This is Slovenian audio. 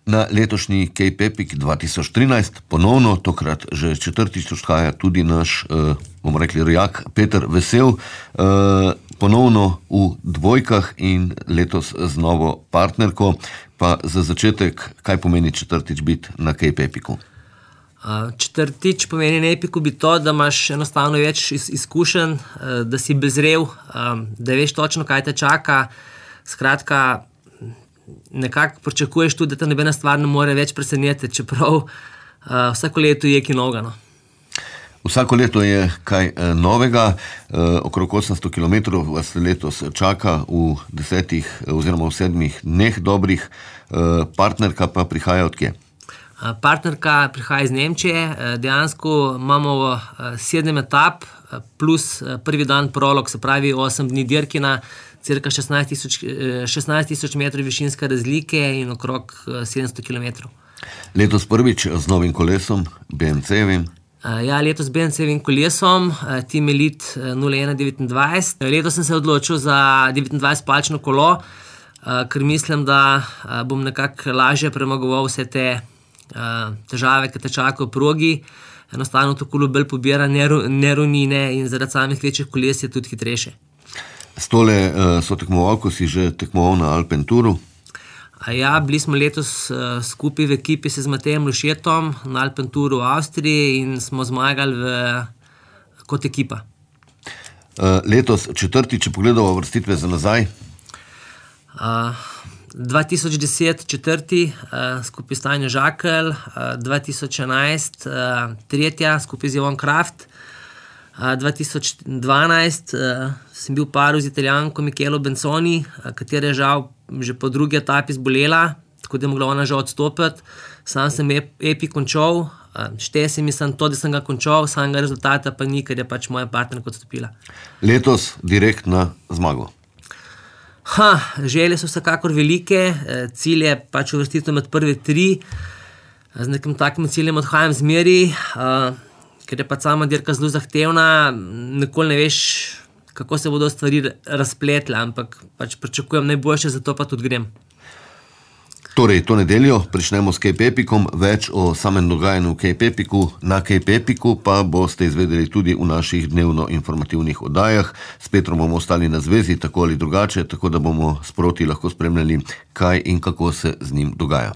Na letošnji Cape Epic 2013 ponovno, tokrat že četrtič odhaja tudi naš, bomo rekli, rojak Peter Vesel, ponovno v dvojkah in letos z novo partnerko. Pa za začetek, kaj pomeni četrtič biti na Cape Epicu? Četrtič pomeni na Epicu biti to, da imaš enostavno več izkušenj, da si bezrev, da veš točno, kaj te čaka. Skratka, nekako pričakuješ tudi, da te nobena stvar ne more več presenetiti, čeprav vsako leto je kaj novega. Vsako leto je kaj novega, okrog 800 km vas letos čaka v 10 oziroma v 7 dneh dobrih, partnerka pa prihaja od kje? Partnerka prihaja iz Nemčije, dejansko imamo 7 etap plus prvi dan prolog, se pravi 8 dni dirkina, cirka 16 tisoč metrov višinske razlike in okrog 700 km. Letos prvič z novim kolesom, BMC-evim. Ja, letos z BMC-evim kolesom, Team Elite 0129. Letos sem se odločil za 29-palčno kolo, ker mislim, da bom nekako lažje premagoval vse te težave, ki te čakajo v progi. Enostavno to kolo bolj pobira nerovnine in zaradi samih večjih koles je tudi hitrejše. S tole sotekmovalko si že tekmoval na Alpenturu? Ja, bili smo letos skupaj v ekipi z Matejem Lušetom na Alpenturu v Avstriji in smo zmagali kot ekipa. Letos četrtič, če pogledamo vrstitve za nazaj? 2010 četrti, skupaj s Tanjo Žakelj, 2011 tretja, skupaj z Jovan Kraft, 2012 sem bil v paru z Italijanko Michelo Benzoni, katera je žal že po drugi etapi zbolela, tako da je mogla ona žal odstopiti. Sam sem Epic končal, šteje se mi to, da sem ga končal, samega rezultata pa ni, ker je pač moja partnerka odstopila. Letos direkt na zmago? Želje so vsekakor velike, cilj je pač uvrstitev med prve 3, z nekim takim ciljem odhajam zmeri, ker je pač sama dirka zelo zahtevna, nikoli ne veš, kako se bodo stvari razpletle, ampak pač pričakujem najboljše, zato pa tudi grem. Torej, to nedeljo pričnemo s Cape Epicom, več o samem dogajanju v Cape Epicu. Na Cape Epicu pa boste izvedeli tudi v naših dnevno informativnih oddajah. S Petrom bomo ostali na zvezi, tako ali drugače, tako da bomo sproti lahko spremljali, kaj in kako se z njim dogaja.